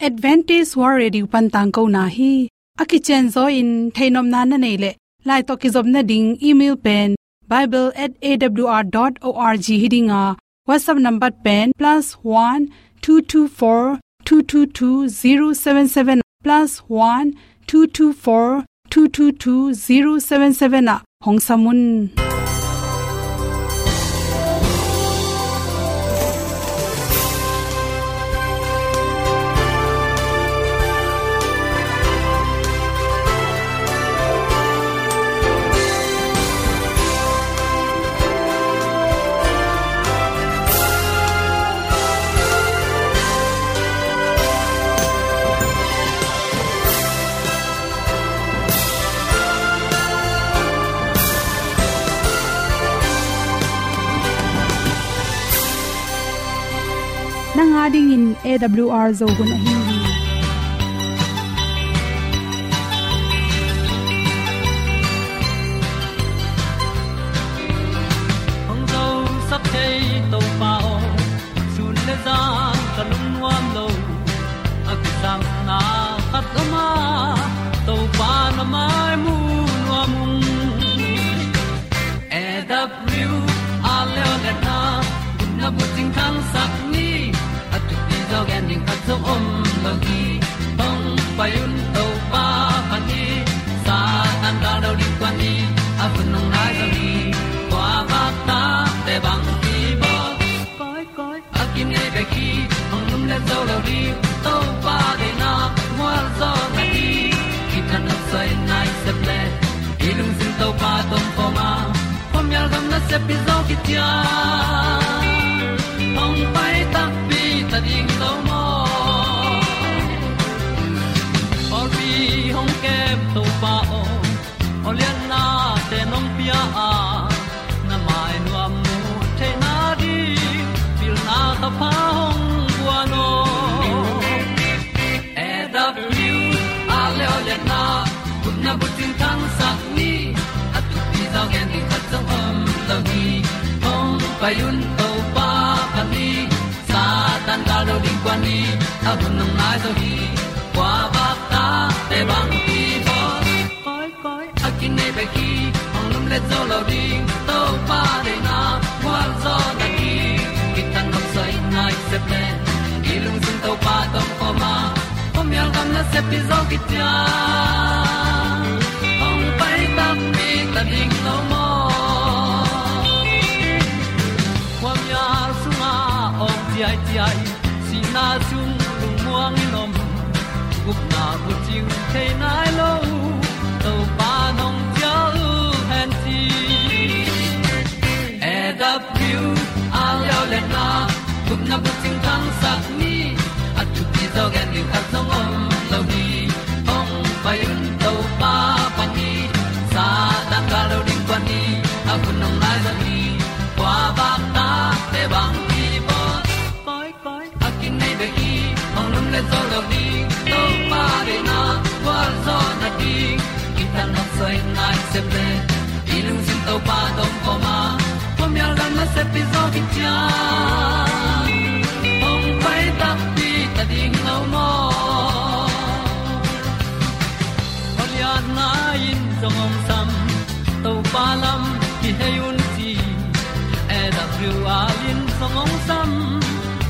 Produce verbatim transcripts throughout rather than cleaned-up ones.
Adventist World Radio pan tangkona hi. A kicianzaw in theihnopna na neih leh, lai tawh kizopna ding email pen bible at A W R dot org hi ding a, WhatsApp number pen plus one two two four two two two zero seven seven, plus one two two four two two two zero seven seven ah hong sam un. Nang a dingin A W R Zo hun ahi hi. Hong zosak thei Topa aw, sun le zan ka lungnuam lo. A kisapna khat om a, Topa na mai mu nuam ung. A W R leo le na, na bucing khangsak ni, a thupi zaw gen ding khat zong om lo hi. Hong pai un Topa phat ni, Satan gal do ding kuan ni, a hun hong nai zaw hi. Kua bak ta te bang hi bawl. Koi, koi, a kinei bek hi, hong lum le zo lo ding, Topa deihna mual zaw na hi. Kithat nop soi nai sep le, i lungsim Topa tawh om khawm a, khuamial gam nasep hi zaw kician. Hong pai takpi ta ding lo maw? Pawlpi hong kem Topa aw, awliatnate nong pia a, na mai nuam mu theihna ding pilna ka pha hong guan aw. A W R leo le na, gupna bucing khangsak ni, a thupi zaw gen ding khat zong om lo hi. Hong pai un Topa phat ni, Satan gal do ding kuan ni, a hun hong nai zaw hi. Kua bak ta te bang hi bawl. Koi, koi, a kinei bek hi, hong lum le zo lo ding, Topa deihna mual zaw na hi. Kithat nop soi nai sep le, i lungsim Topa tawh om khawm a, khuamial gam nasep hi zaw kician. Hong pai takpi ta ding lo maw? Khuamial sungah awng ciaiciai, sihna sung lungmuang in om, gupna bucing thei nai lo, Topa nong cial hen ci. A W R leo le na, gupna bucing khangsak ni, a thupi zaw gen ding khat zong om lo hi. Hong pai un Topa phat ni, Satan gal do ding kuan ni, a hun hong nai zaw hi. Kua bak ta te bang hi bawl. Koi, koi, a kinei bek hi, hong lum le zo lo ding, Topa deihna gualzawhna ding. Kithat nop soi nai sep le, i lungsim Topa tawh om khawm a, khuamial gam nasep hi zaw kician. Hong pai takpi ta ding lo maw? Awliatna in zong hong sam, Topa lam kihei un ci. A W R in zong hong sam,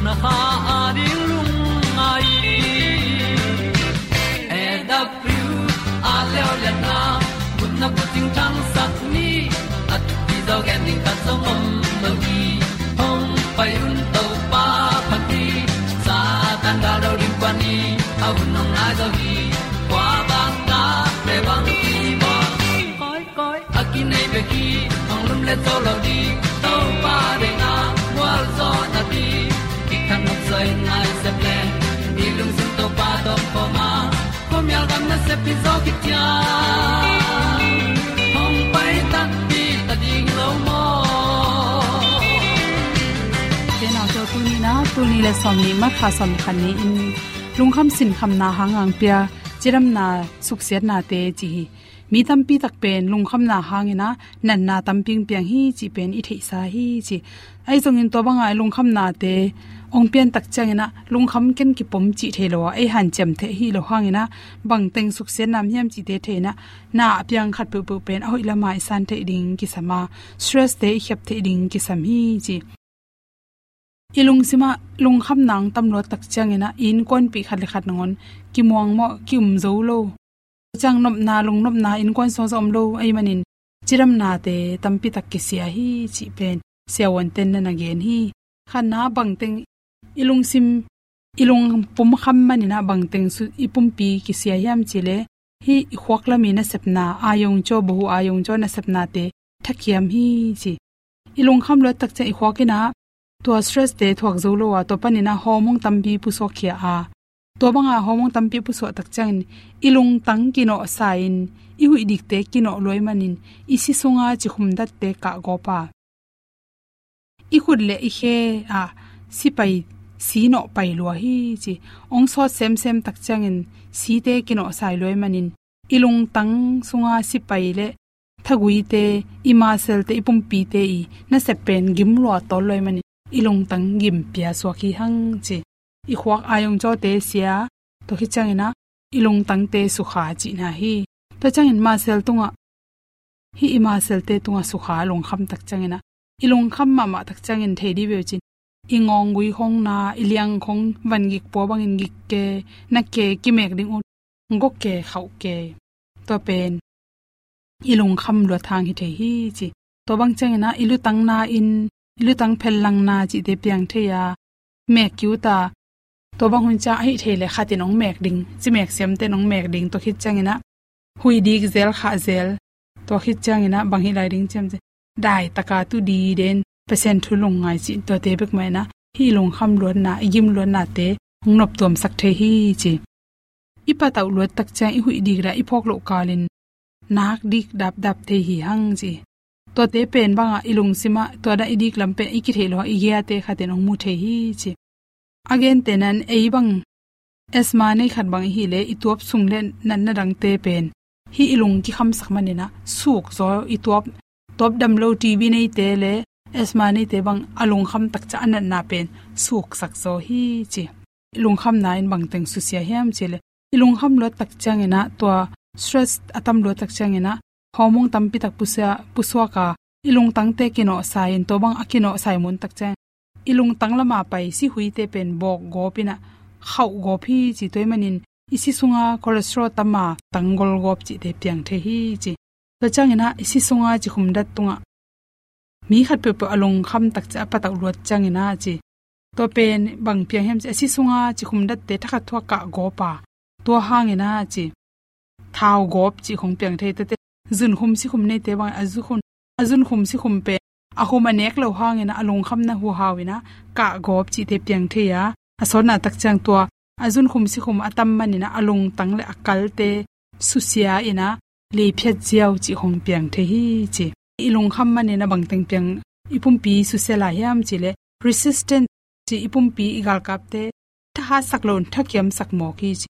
na kha a ding lungngai. A W R leo liatna, gupna bucing thangsak ni, a thupi zaw gen ding khat zong om lo hi. Hong pai un Topa phat ni, Satan gal do ding kuan ni, a hun hong nai zaw hi. Kua bang ta te bang hi bawl. Koi, koi, a kinei bek hi, hong lum le zo lo ding, Topa deihna gualzawhna ding. Kithat nop soi nai sep le, i lungsim Topa tawh om khawm a, khuamial gam nasep hi zaw kician. Hong pai takpi ta ding lo maw? Te nau te, tuni na, tuni le sawm ni, March kha sawm khat ni in, lungkham sinkhamna hang ang pia, cidamna suksiatnate ci hi. Mi tampi tak pen lungkhamna hangin a natna tampi piang hi cih pen i theihsa hi ci. Ahi zongin tua banga i lungkhamnate ong pian tak ciangin ah lungkham ken kipom cih thei lo a, ei hanciam thei hi lo hangin ah bangteng suksiat nam hiam cihte thei in ah, na a piang khat peuhpeuh pen a hoih lama i san theih ding kisam a, stress te i khiap theih ding kisam hi ci. I lungsim ah lungkhamna ong tam luat tak ciangin ah i innkuanpih khat le khat nangawn kimuang mawh, ki-um zo lo. Ciang nopna, lungnopna innkuan sung zong om lo ahih manin cidamnate tampi tak kisia hi cih pen siavuante'n na na gen hi. Khatna, bangteng i lungsim, i lung pumkham manin ah bangteng su-, i pumpi kisia hiam cih leh, hih i khuak lam i nasepna, ayong caw, bahu ayong caw nasepnate thakiam hi ci. I lungkham luat tak ciang i khuak in ah tua stress te thuak zo lo a, tua panin ah hormone tampi pusuak khia a, tua banga hormone tampi pusuak tak ciangin i lungtang kinawhsa in, i huih dikte kinawh lua ahih manin i si sunga cikhum datte kahgawp a, i khut le i khe ah sipai si nawh pai lua hi ci. Ong sawt semsem tak ciangin site kinawhsa lua ahih manin i lungtang sunga sipai le thaguite, i muscle te, i pumpite i nasep pen gim lua tawl lua ahih manin i lungtang gim pia suak hi hang ci. I khuak ayong cawte sia, tua khit ciangin ah i lungtangte sukha cihna hi. Tua ciangin muscle tungah, hih i muscle te tungah sukha lungkham tak ciangin ah, i lungkham mahmah tak ciangin thei dih ve uh cin, i ngawnggui khong na, i liang khong van gik pua bangin gik kei, na kei, kimek ding un, gawk kei, khauh kei. Tua pen i lungkham luat hang hi thei hi ci. Tua bang ciangin ah i lutang na in, i lutang phellang na cihte piang thei a, mek kiu ta. Tua bang hun ciang ahih thei leh khat in ong mek ding, ci mek siamte in ong mek ding, tua khit ciangin ah huih dik zel, khah zel. Tua khit ciangin ah bang hih lai ding ciam ci, dai taka tu diden, Pasian thu lungngai cih, tuate bek mah in ah hih lungkham luatna, i gim luatnate ong noptuamsak thei hi ci. I patauh luat tak ciang i huih dik dah i phawk loh kalin nak dik dapdap thei hi hang ci. Tuate pen bangah i lungsim ah tua dah i dik lam pen i kitheih lo a, i giate khat in ong mu thei hi ci. A gentehna in ei bang asthma nei khat bang i hih leh, i tuap sung le natna dangte pen hih i lung kikhamsak manin ah suk zaw, i tuap, tuap dam lo, T B neite le asthma neite bang a lungkham tak ciang a natna pen suksak zaw hi ci. I lungkhamna in bangteng susia hiam cih leh, i lungkham luat tak ciangin ah, tua stress a tam luat tak ciangin ah hormone tampi tak pusia-, pusuak a, i lungtangte kinawhsa in, tua bang a kinawhsa i muh tak ciang i lungtang lama pai sihuite pen bawk gawp in ah khauh gawp hi ci. Tua ahih manin i si sunga cholesterol tam a, tanggol gawp cihte piang thei hi ci. Tua ciangin ah i si sunga cikhum dat tungah mi khat peuhpeuh a lungkham tak ciang a patauh luat ciangin ah ci, tua pen bang piang hiam ci, a si sunga cikhum datte thakhat thu ah kah gawp a, tua hangin ah ci, thau gawp cih khong piang thei. Tuate zunkhum sikhum neite bang a zunkhum, a zunkhum sikhum pen a khum a nek lo hangin ah a lungkhamna huhau in ah kah gawp cihte piang thei a, a sawtna tak ciang tua a zunkhum sikhum a tam manin ah a lungtang le a kalte susia in ah lei phiat ziau cih khong piang thei hi ci. I lungkham manin ah bangteng piang i pumpi susia lai hiam cih leh, resistant ci, i pumpi i galkapte thahatsak lo in thakiamsak mawk hi ci.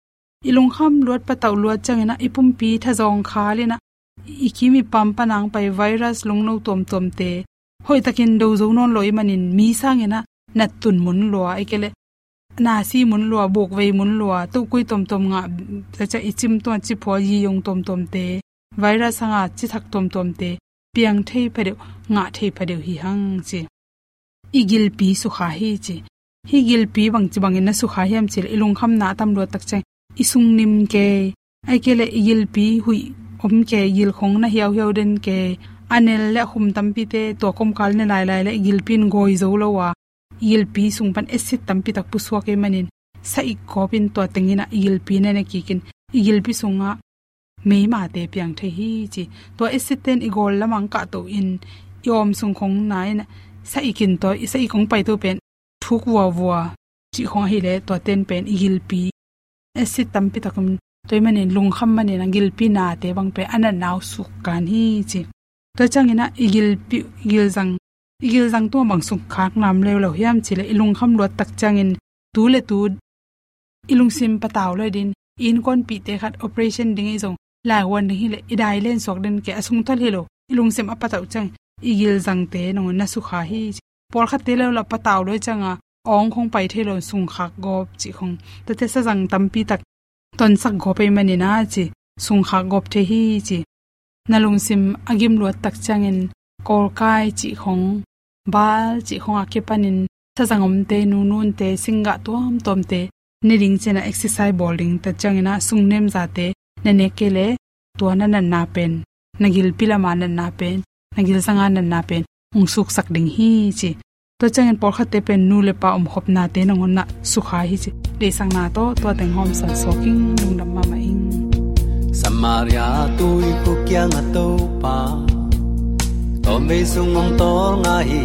I lungkham luat patauh luat ciangin ah i pumpi thazawng khal in ah i kim i pam pan a ong pai virus, lungno tuamtuamte hoihtakin do zo nawn lo ahih manin mi sangin ah nattun mun lua, ahih kei leh nasi mun lua, bukvei mun lua, tukui tuamtuam ngah, tua ciang i cim tungah ciphua, yiyong tuamtuamte, virus hanga cithak tuamtuamte piang thei phadeuh, ngah thei phadeuh hi hang ci. I gilpi sukha hi ci. Hih gilpi bangci bangin na sukha hiam cih leh, i lungkhamna a tam luat tak ciang i sung nim kei, ahih kei leh i gilpi huih om kei, i gil khong na hiauhiau den kei, a nel le a khum tampite tua komkal ne lailai leh i gilpi in gawi zo lo a, i gilpi sung pan acid tampi tak pusuak ahih manin, sa-ik gawp in tua teng in ah i gilpi na ne kik in, i gilpi sungah meimate piang thei hi ci. Tua acid te in i gawl lam a ong kahto in, i awm sung khong na in ah, sa-ik in tua, i sa-ik ong paito pen thuk vuavua cih khong ahih leh, tuate in pen i gilpi acid tampi tak om. Tua ahih manin lungkham manin ah gilpi nate bang pen a natna uh suk kan hi ci. Tua ciangin ah i gilpi, i gilzang, i gilzang tungah bang sukkhak nam leuleu hiam cih leh, i lungkham luat tak ciangin tu le tu i lungsim patau lo ding, i innkuanpihte khat operation ding i zong, laivuan ding hi leh, i dai len suak den kei, a sung thal hi lo, i lungsim a patauh ciang i gilzangte nangawn na sukha hi ci. Pawlkhatte leuleu a patau lo ciang a awng khong pai thei lo, sungkhak gawp cih khong. Tuate sazang tampi tak tonsak gawp ei manin a ci, sungkhak gawp thei hi ci. Na lungsim a gim luat tak ciangin kawlkai cih khong, bal cih khong a kipanin sazang omte, nununte, singgah tuamtuamte ne ding cih na exercise bawl ding tak ciangin a sungnem zate na nek kei leh tua na natna pen, na gilpi lama natna pen, na gilzanga natna pen hong suksak ding hi ci. Tua ciangin pawlkhatte pen nu le pa omkhopnate nangawn ah sukha hi ci. Deihsakna tawh tua teng hawmsan sawk ing, lungdam mahmah ing. Samaria tuikhuk kiangah Topa tawmvei sung hong tawlnga hi.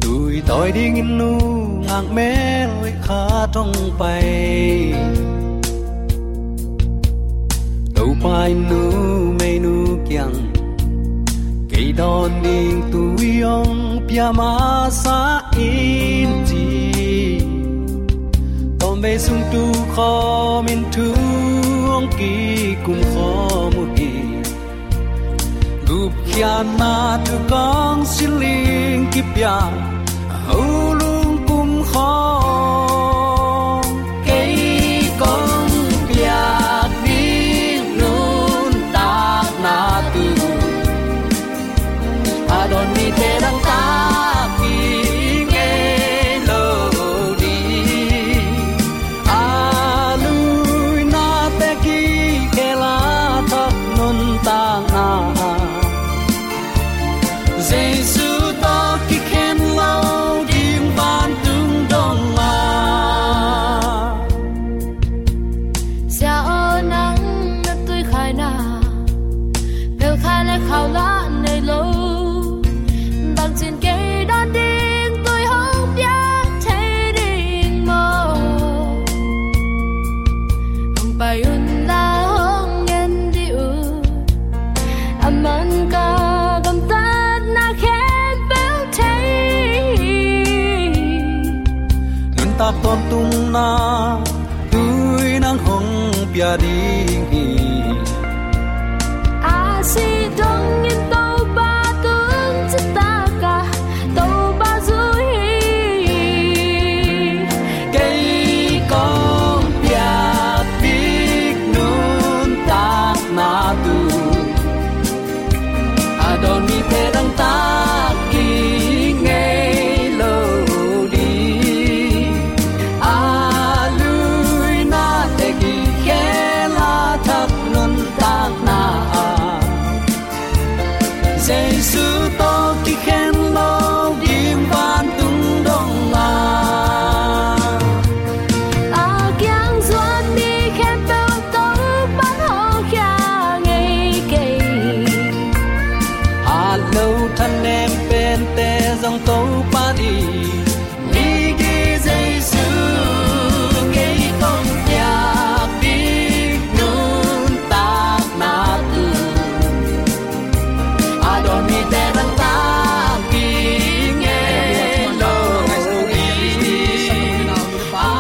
Tui tawi dingin nungak mel khat hong pai. Topa in numeinu kiang, kei dawn ding tui hong pia masa in ci. Tawmvei sung tu khawmin thu hong kikum khawm uh hi. Gupkhiatna thu kong siling kipia, a ho lungkum khawm, kei kong piak ding nuntakna thu a dawn mite dangtak ding ngei lo ding. A luinate kikhel a thak nuntakna, Jesu tawh kikhen lo ding vantung dong a. Sia aw, nang na tuikhaina pelkhai le khau lah nei lo. Bangcin kei dawn ding tui hong piak thei ding maw? Hong pai un la, hong ngen dih un. A man ka gamtatna khempeuh thei. Nuntak tawntungna tui nang hong pia ding hi. A sih dongin Topa tung citak a Topa zui hi. Kei kong piak ding nuntakna thu a dawn mite dangtak ding ngei lo ding. A luinate kikhel a thak nuntakna, Jesu tawh kikhen lo ding vantung dong a. A kiang zuan mi khempeuh Topa'n hawlkhia ngei kei. Hat lo thanem pente zong Topa ding. Migi Jesu, kei kong piak ding nuntakna thu a dawn mite dangtak ding ngei lo ding. A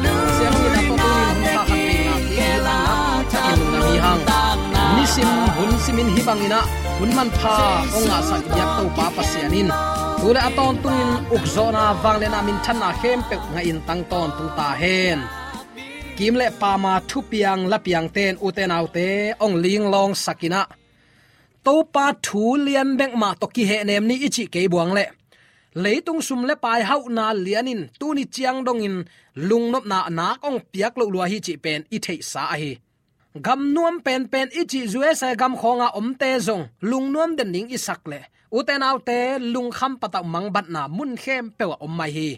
luinate kikhel a thak nuntakna. Nisim hun simin hih bangin ah hun manpha hong ngahsak i biak Topa Pasian in tu le a tawntungin ukzawhna, vangliatna, minthanna khempeuh ngahin tang tawntung ta hen. Kim le pama thupiang lapiangte in, ute naute, hong linglawngsak in ah, Topa thu lian bek mah tawh kihehnem ni i cih kei buang leh, leitung sum le pai hauhna lian in tuni ciang dongin lungnopna nak hong piak loh lua hi cih pen i theihsa ahi. Gam nuam penpen i cih U S A gam khawnga omte zong lungnuam den ding i sak leh, ute naute, lungkham patauh mangbatna mun khempeuh ah om mai hi.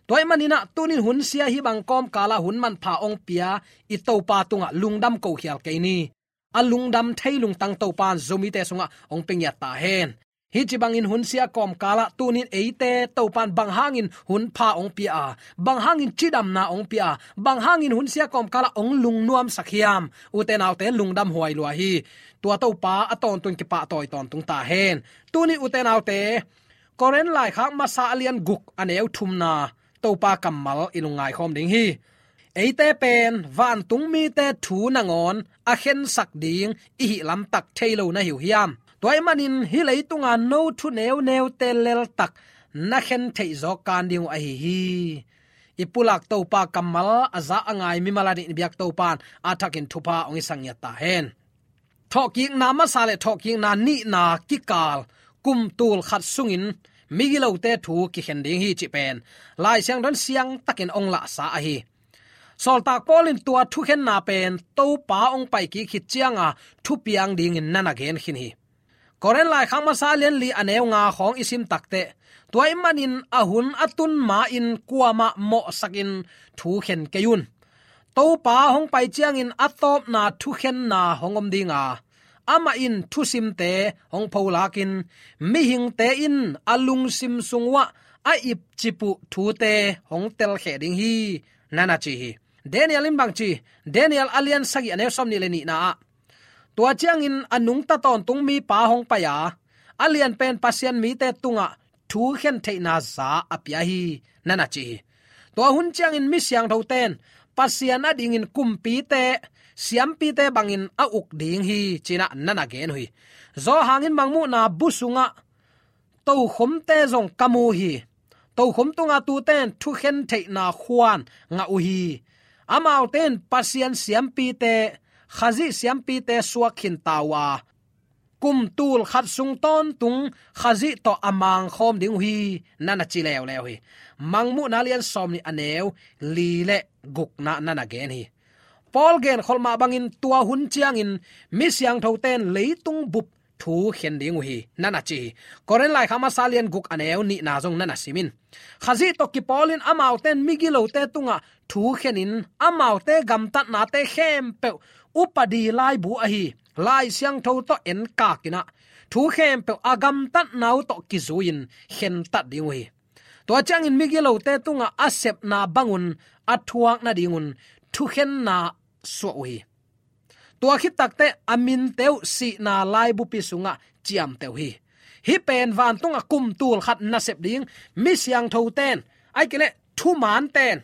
Tua ahih manin ah tunin hunsia hih bang kawmkalah hun manpha hong pia i Topa tungah lungdam ko khial kei ni. A lungdam thei lungtang Topa'n Zomite sungah hong pia ngiat ta hen. Hih ci bangin hunsia kawmkalah tunin eite Topa'n bang hangin hunpha hong pia a, bang hangin cidamna hong pia a, bang hangin hunsia kawmkalah hong lungnuamsak hiam? Ute naute, lungdam huai lua hi. Tua Topa a tawntung kipahtawi tawntung ta hen. Tunin ute naute, Korin laikhak masa a lian guk a neu thumna Topa kammal i lungngaikhawm ding hi. Eite pen vantung mite thu nangawn a khensak ding i hih lamtak thei lo na hi uh hiam? Tua ahih manin hih leitunga no thu neuneute leltak na khen theih zawk kan ding uh ahi hi. I pulak Topa kammal a za a ngai mimal a dih biak Topa'n a thakin thupha hong i sangiat ta hen. Thawhkikna masa le thawhkikna nihna kikal kum tul khat sungin migilote thu kikhen ding hi cih pen Lai Siangtho in siangtakin hong lahsa ahi. Sawltak Paul in tua thukhenna pen Topa hong pai kik khit cianga thupiang dingin na na gen khin hi. Korin laikhak masa lian li a neu nga khawng i sim takteh, tua ih manin a hun a tun ma-in kuamah mawhsakin thu khen kei un. Topa hong pai ciangin a tawpna thukhenna hong om dinga, amah in thusimte hong pholakin mihingte in a lungsim sung uah a ipcip uh thute hong telkheh ding hi, na na ci hi. Daniel in bang ci? Daniel a lian sagih a neu sawmnih le nihna ah, tua ciangin a nungta tawntung mipa hong pai a, a lianpen Pasian mite tungah thu khen theihna za a pia hi, na na ci hi. Tua hun ciangin mi siangthote'n Pasian a dingin kumpite, siampite bangin a uk ding hi ci-in ah na na gen uh hi. Johan in Mangmuhna bu sungah tokhomte zong ka mu hi. Tokhom tunga tute'n thu khen theihna khuan ngah uh hi. Amaute in Pasian siampite, Khazih siampite suak khin ta uh a, kum tul khat sung tawntung Khazih tawh a mangkhawm ding uh hi, na na ci leuleu hi. Mangmuhna lian sawmnih a neu li le gukna na na gen hi. Paul genkholh mah bangin tua hun ciangin mi siangthote'n leitung bup thu khen ding uh hi, na na ci hi. Korin laikhak masa lian guk a neu nihna zong na na sim in. Khazih tawh kipawlin amaute in migilote tungah thu khenin amaute gamtatnate khempeuh upadi laibu ahi Lai Siangtho tawh enkak in ah, thu khempeuh a gamtatna uh tawh kizui-in khentat ding uh hi. Tua ciangin migilote tungah a sepna bangun a thuak nadingun thukhenna suah uh hi. Tua khit takteh a minte uh sihna laibupi sungah ciamteh uh hi. Hih pen vantungah kum tul khat nasep ding mi siangthote'n, ahih kei leh thumante'n,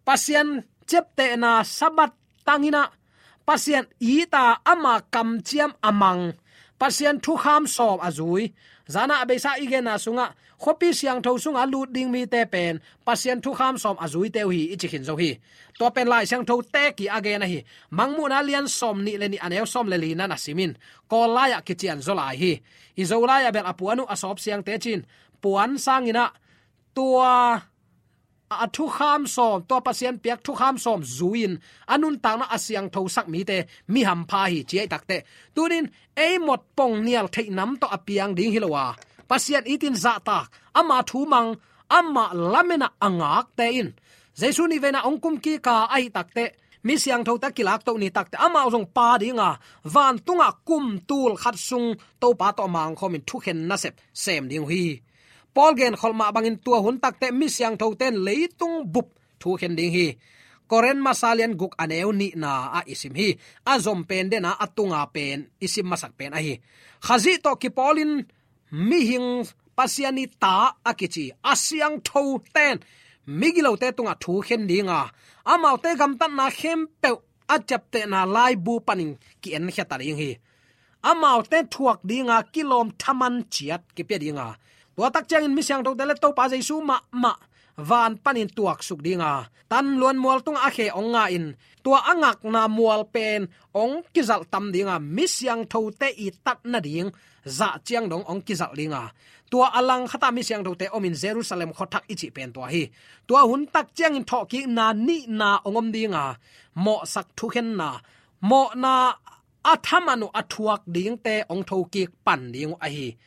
Pasian ciaptehna Sabbath tang in ah, Pasian it a, ama kamciam a mang, Pasian thukham sawm a zui. Zan a beisa i genna sungah khuapi siangtho sungah a lut ding mite pen Pasian thukham sawm a zuite uh hi i ci khin zo hi. Tua pen Lai Siangtho teek-in a gen ahi. Mangmuhna lian sawmnih le nih a neu sawm le li na na sim in. Kawl lai-ah kician zaw lai hi. I Zo lai-ah bel a puan uh a sawp siangte ci-in puan sangin ah tua a thukham sawm, tua Pasian piak thukham sawm zui-in a nuntakna a siangthosak mite mi hampha hi ci ahih takteh, tuni-in ei mawk pongnial theih nam tawh a piang ding hi lo a, Pasian it-in zahtak, ama thu mang, amah lamen-a a ngakte in Jesu nih veina hong kum kik a, ahih takteh mi siangthote kilakto ni takteh amau zong pha dinga, vantungah kum tul khat sung Topa tawh mangkhawmin thukhen nasep sem ding uh hi. Paul genkholh mah bangin tua hun takteh mi siangthote'n leitung bup thu khen ding hi. Korin masa lian guk a neu nihna ah i sim hi. A zom pen den a, a tunga pen i sim masak pen ahi. Khazih tawh kipawlin mihing, Pasian ii ta a kici a siangthote'n migilote tungah thu khen dinga, amaute gamtatna khempeuh a ciaptehna laibu panin ki-enkhia ta ding hi. Amaute thuak dinga kilawm thaman ciat kipia dinga, tua tak ciangin mi siangthote le Topa Jesu mahmah van panin tuaksuk dinga, Tan Luan Mual tungah a khe hong nga-in, tua a ngakna mual pen hong kizalh tam dinga, mi siangthote it tat nading zah ciang dong hong kizalh dinga, tua a langkhatah mi siangthote omin Jerusalem khuathak i cih pen tua hi. Tua hun tak ciangin thawhkikna nihna hong om dinga, mawhsak thukhenna, mawhna a thaman uh a thuak dingte hong thokik pan ding uh ahi.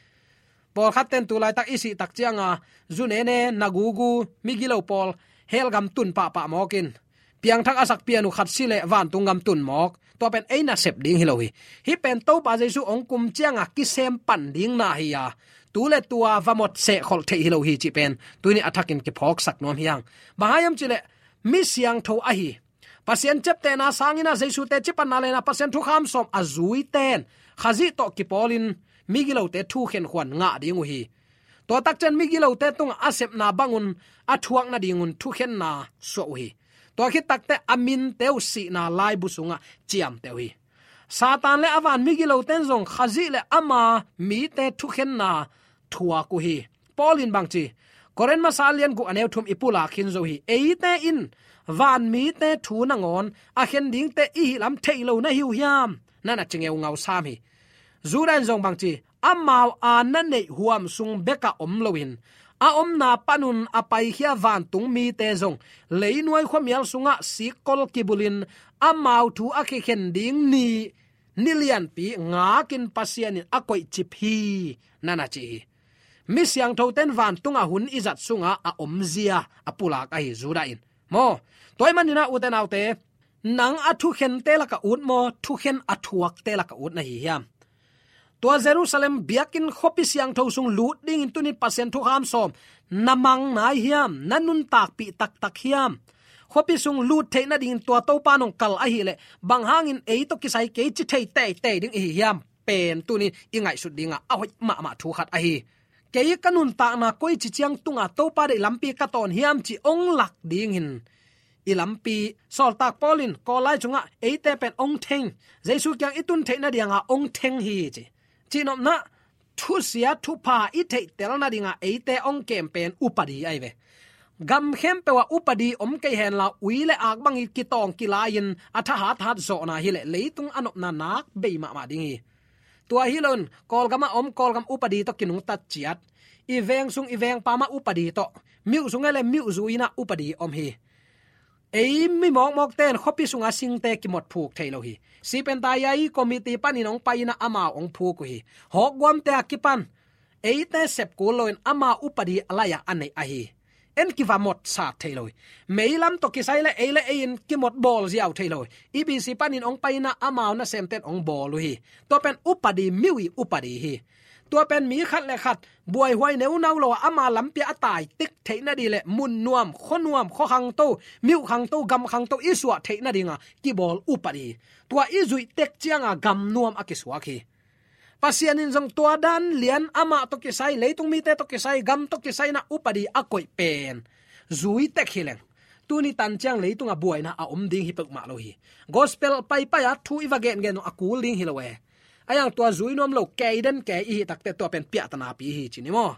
Pawlkhatte'n tu laitak i sih tak cianga, zu nene, na gugu, migilo pawl hell gam tun pahpah mawk in, piangthak a sak pian uh khat si leh vantung gam tun mawk. Tua pen ei nasep ding hi lo hi. Hih pen Topa Jesu hong kum cianga kisem pan ding na hi a, tu le tua va mawk sehkholh theih hi lo hi cih pen tuni a thakin kiphawksak nuam hi hang. Bang hang hiam cih leh mi siangtho ahi, Pasian ciaptehna sangin a Jesu teci panna le na Pasian thukham sawm a zuite'n Khazih tawh kipawlin migilote thukhen khuan ngah ding uh hi. Tua tak ciang migilote tungah a sepna bangun a thuak nadingun thukhenna suah uh hi. Tua khit takteh a minte uh sihna laibu sungah ciamteh uh hi. Satan le a van migilote'n zong Khazih le ama mite thukhenna thuak uh hi. Paul in bang ci? Korin masa lian guk a neu thum i pulak khin zo hi. Eite in vanmite thu nangawn a khen dingte i hih lam thei lo na hi uh hiam? Na na ci ngeungau sam hi. Judah in zong bang ci, amau a na neih huam sung bekah om loin a omna panun a paikhia vantung mite zong leinuai khuamial sungah sikkol kibulin amau thu a kikhen ding ni, ni lianpi ngakin Pasian in a koihcip hi, na na ci hi. Mi siangthote in vantungah hun i zat sungah a omzia a pulak ahi Judah in. Maw, tua ahih manin ah ute naute, nang a thukhente lakah ut maw, thukhen a thuakte lakah ut na hi hiam? Tua Jerusalem biakinn khuapi siangtho sung lut dingin tuni Pasian thukham sawm na mang nai hiam, na nuntakpih taktak hiam? Khuapi sung lut theih nadingin tua Topa nong kal ahih leh bang hangin ei tawh kisai kei ci thei teitei ding i hi hiam pen tuni i ngaihsut dingah a hoih mahmah thu khat ahi. Kei ka nuntakna koici ciang tunga Topa deih lampi ka tawn hiam ci ong lak dingin i lampi. Sawltak Paul in Kawl lai cungah eite pen ong theng, Jesu kiang i tun theih nadianga ong theng hi ci. Cihnopna, thusia thupha i theihtel nadinga eite ong kem pen upadi ahi ve. Gam khempeuh ah upadi om kei henla, ui le ak bang i kitawng kilai-in a thahat hat zawhna hileh leitung a nopna nak bei mahmah ding hi. Tua hi loin Kawlgam ah om Kawlgam upadi tawh kinungtat ciat, i veng sung i veng pam ah upadi tawh, myuh sung hileh myuh zui-in ah upadi om hi. Ei mi mawkmawkte in khuapi sunga singte kimot phuk thei lo hi. Sipenta i committee panin ong pai-in ah amau ong phuk uh hi. Hawkguamte a kipan eite sep kul loin amau upadi a lai-ah a neih ahi. En kiva mot sat thei lo hi. Meilam tawh kisai le ei le ei in kimot bawl ziau thei lo hi. E B C panin ong pai-in ah amau nasemte in ong bawl uh hi. Tua pen upadi, myuh i upadi hi. Tua pen mi khat le khat buaihuai neunau lo a, ama lampi ah a tai tek theih nading le mun nuam, khua nuam, khua khangto, myuh khangto, gam khangto i suah theih nadinga kibawl upadi hi. Tua i zuih tek cianga gam nuam a kisuak hi. Pasian in zong tua dan lian, amah tawh kisai, leitung mite tawh kisai, gam tawh kisai-in ah upadi a koih pen zui tek hi leng, tuni tan ciang leitungah buaina a om ding hi peuhmah lo hi. Gospel paipai a thu i va gengen zong a kul ding hi lo e. A iang tua zui nuam lo, kei den kei i hih takteh tua pen piahtanapi hi ci ni maw?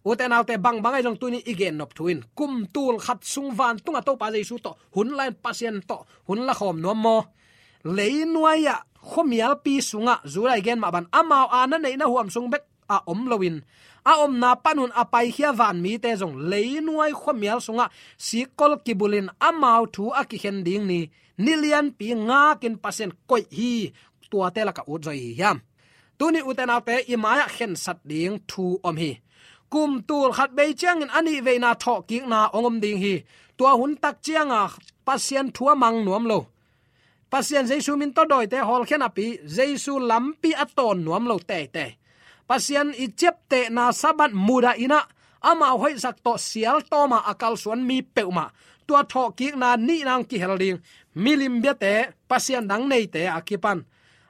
Ute naute, bangbang ahi zong tuni i gennop thu in kum tul khat sung vantungah Topa Jesu tawh hun la-in, Pasian tawh hun la khawm nuam maw? Leinuai-ah khuamialpi sungah Judah i gen mah ban amau a na neihna huam sung bek a om loin a omna panun a paikhia vanmite zong leinuai khuamial sungah sikkol kibulin amau thu a kikhen ding ni, ni lianpi ngakin Pasian koih hi. Tuate lakah ut zaw i hi hiam? Tuni ute naute, i mai-ah khensat ding thu om hi. Kum tul khat bei ciangin a nihveina thawhkikna ong om ding hi. Tua hun tak cianga Pasian thu a mang nuam lo, Pasian Jesu min tawh dawite hawlkhia napi, Jesu lampi a tawn nuam lo teitei. Pasian i ciaptehna Sabbath mudah-in ah amau hoihsak tawh sial tawma a kalsuan mi peuhmah tua thawhkikna nihna ong kihel ding. Milim biate, Pasian dang neite a kipan,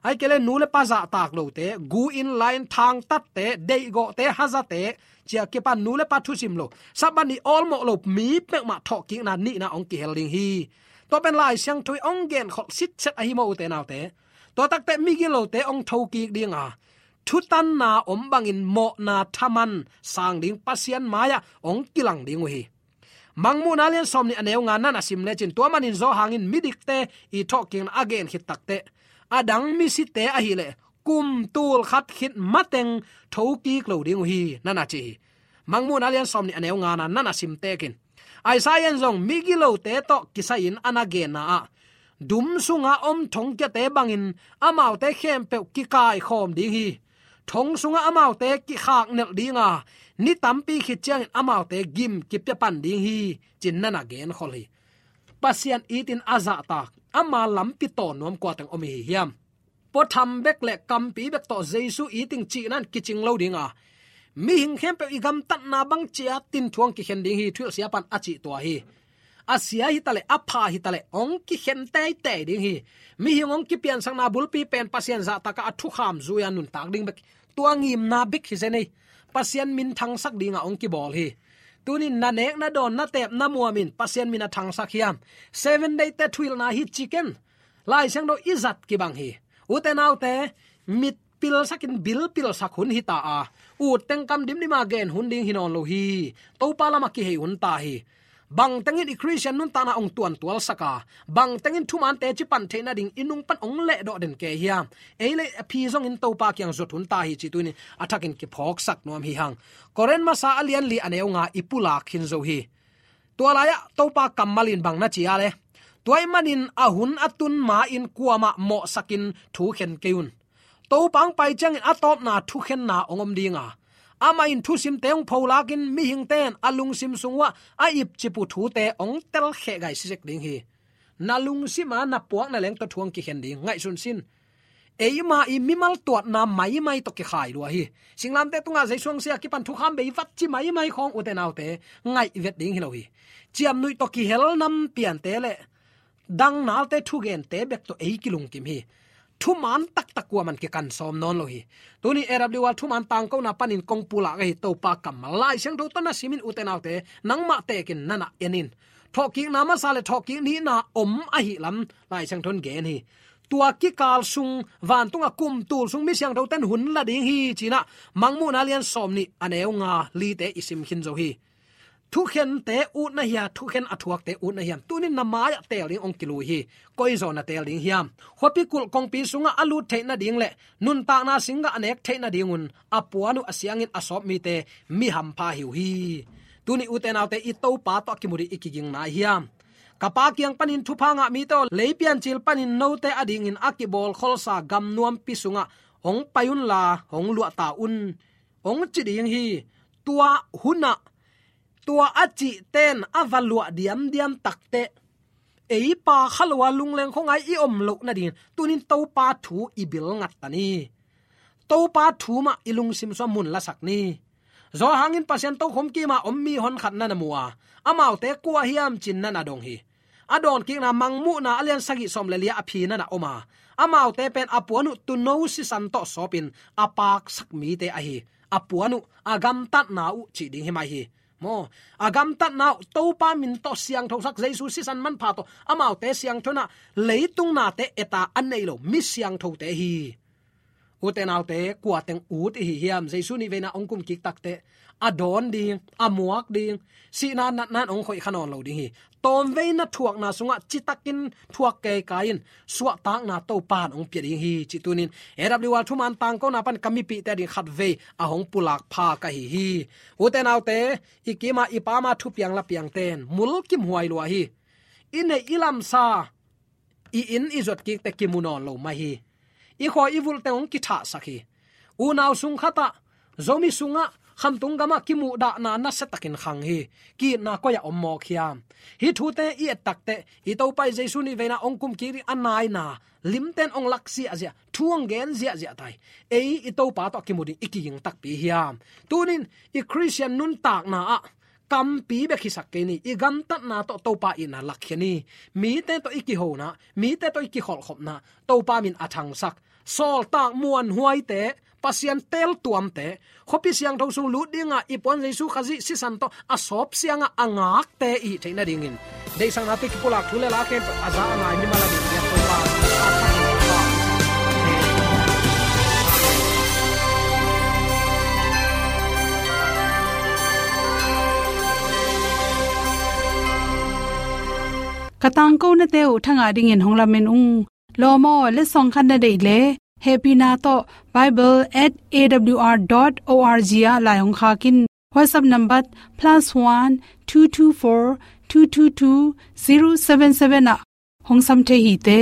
ahih kei leh nu le pa zahtak lote, gu-in la-in thangtatte, deihgawhte, hazate, ci-a kipan nu le pa thusim lo, Sabbath ni awlmawh lo mi peuhmah thawhkikna nihna ong kihel ding hi. Tua pen Lai Siangtho i ong genkholh sitset ahi maw ute naute? Tua takteh migilote ong thokik dinga, thutanna om bangin mawhna thaman sang ding, Pasian mai-ah ong kilang ding uh hi. Mangmuhna lian sawmnih a neu nga na na sim lecin, tua manin Johan in midikte i thawhkikna a gen khit takteh, a dang misite ahih leh kum tul khat khit mateng thokik lo ding uh hi, na na ci hi. Mangmuhna lian sawmnih a neu nga na na na sim tekin, Isaiah in zong migilote tawh kisai-in a na genna ah, dum sunga om thongkiate bangin amaute khempeuh kikaikhawm ding hi. Thong sungah amaute kikhaknelh dinga, ni tampi khit ciangin amaute gim kipia pan ding hi, ci-in na na genkhol hi. Pasian itin a zahtak, ama lampi tawn nuam kuateng om i hi hiam? Puatham bek le kampi bek tawh Jesu iting cihna in kicing lo dinga, mihing khempeuh i gamtatna bang ci-a tin thu ong kikhen ding hi, thuhilh siapa in a cih tua hi. A sia hitaleh, a pha hitaleh, ong kikhen teitei ding hi. Mihing ong kipiansakna bulpi pen Pasian zahtakah a thukham zui-a nuntak ding bek, tua ngimna bek hi zen ei. Pasian min thangsak dinga ong kibawl hi. Tunin na nek, na dawn, na teep, na muam in Pasian min a thangsak hiam? Seven Day te thuhilhna hi ci ken. Lai Siangtho i zat kibang hi. Ute naute, mit pilsakin bil pilsak hun hi ta a, ut teng kam dimdima gen hun ding hi nawn lo hi. Topa lamah kihei hun ta hi. Bang tengin i Khristian nuntakna hong tuantualsak a, bang tengin thuman teci pan theih nading i nung pan hong lehdawh den kei hiam? Ei le a phi zongin Topa kiang zuat hun ta hi cih tuni a thakin kiphawksak nuam hi hang. Korin masa a lian li a neu nga i pulak khin zo hi. Tua lai-ah Topa kammal in bang na ci a le, tua ahih manin a hun a tun ma-in kuamah mawhsakin thu khen kei un. Topa hong pai ciangin a tawpna thukhenna hong om ding a, amah in thusimte hong pholakin mihingte in a lungsim sung uhah a ipcip uh thute hong telkheh gaisi zek ding hi. Na lungsim a na puakna leng tawh thu hong kikhen ding, ngaihsun sin. Eima i mimal tuatna maimai tawh kikhai lua hi. Singlamteh tungah Jesu hong si a kipan thukham bei vat ci maimai khawng, ute naute, ngaih vet ding hi lo hi. Ciamnuih tawh kihel nam piante le dang nalte thugente bek tawh ei kilungkim hi. Thuman taktak kuaman kikan sawm nawn lo hi. Tuni A W R thuman tangkona panin kong pulak ahi Topa kammal Lai Siangtho tawh na simin, ute naute, nangmah tekin na na en in. Thawhkikna masa le thawhkik nihna om ahih lam Lai Siangtho in gen hi. Tua kikal sung, vantungah kum tul sung mi siangthote in hun la ding hi ci-in ah Mangmuhna lian sawmnih a neu nga lite i sim khin zo hi. Thukhente utna hia, thukhen a thuakte utna hiam? Tunin na mai-ah teel ding hong kilui hi. Koi zaw na teel ding hiam? Khuapi kulh kongpi sungah a lut theih nading le nuntakna singgah a nek theih nadingun a puan uh a siangin a sawp mite mi hampha hi uh hi. Tuni, ute naute, i Topa tawh a kimu ding i kiging nai hiam? Ka pa kiang panin thupha ngah mite aw, lei piancil panin note adingin a kibawlkholsa gam nuampi sungah hong pai unla, hong luahta un, hong ci ding hi. Tua hunah tua a cihte in a va luah diamdiam takteh, ei pa kha lo a lungleng khuangai i om loh nadingin tunin Topa thu i bil ngat ta ni. Topa thu mah i lungsim sungah mun lasak ni. Johan in Pasian tokhom kima om mi honkhat na na mu a, amaute kua hiam ci-in na na dong hi. A dawnkikna Mangmuhna a lian sagih sawm le li-ah a phi na na om a, amaute pen a puan uh tuuno sisan tawh sawpin a paksak mite ahi, a puan uh, a gamtatna uh cih ding hi mai hi. Maw, a gamtatna uh Topa min tawh siangthosak, Jesu sisan manpha tawh amaute siangtho in ah leitung nate et a, a nei lo mi siangthote hi. Ute naute, kua teng ut i hi hiam? Jesu nih veina hong kum kik takteh a dawn ding, a muak ding, sihna natna in hong khoih kha nawn lo ding hi. Tawmveina thuakna sungah citakin thuak keikai in suahtakna Topa in hong pia ding hi, cih tunin A W R thuman tangkona pan ka mipihte ading khatvei a hong pulak pha ka hi hi. Ute naute, i kima i pama thupiang lapiangte in mulkimhuai lua hi. I neih i lamsa, i inn i zuat kikte kimu nawn lo mah hi. I khawi i vulhte hong kithahsak hi. Unau sung khatah, Zomi sungah, khamtung gamah kimuhdahna nasiatakin khang hi. Ki-itna koi-ah om mawk hiam? Hih thute i et takteh, i Topa i Jesu nih veina hong kum kik ding a naina limte in hong lak ziahziah, thu hong gen ziahziah ta hi. Ei i Topa tawh a kimu ding i kiging takpi hiam? Tunin i Khristian nuntakna ah kampi bek hisak kei ni, i gamtatna tawh Topa itna lakkhia ni. Mite tawh i kihona, mite tawh i kikholhkhopna Topa min a thangsak, sawltak muanhuaite, Pasian teeltuamte, khuapi siangtho sung lut dinga i puan Jesu Khazih sisan tawh a sawp siangah a ngakte i hih theih nadingin deihsakna tawh kipulak thu le la khempeuh a za a ngai mimal ading biak Topa. Ka tangkonate uh thangah dingin hong lamen ung. Lawm aw, letsong khat na deih leh, hehpihna tawh bible at A W R dot O R G ah lai hong khak in. WhatsApp number plus one two two four two two two zero seven seven ah hong sam thei hi te.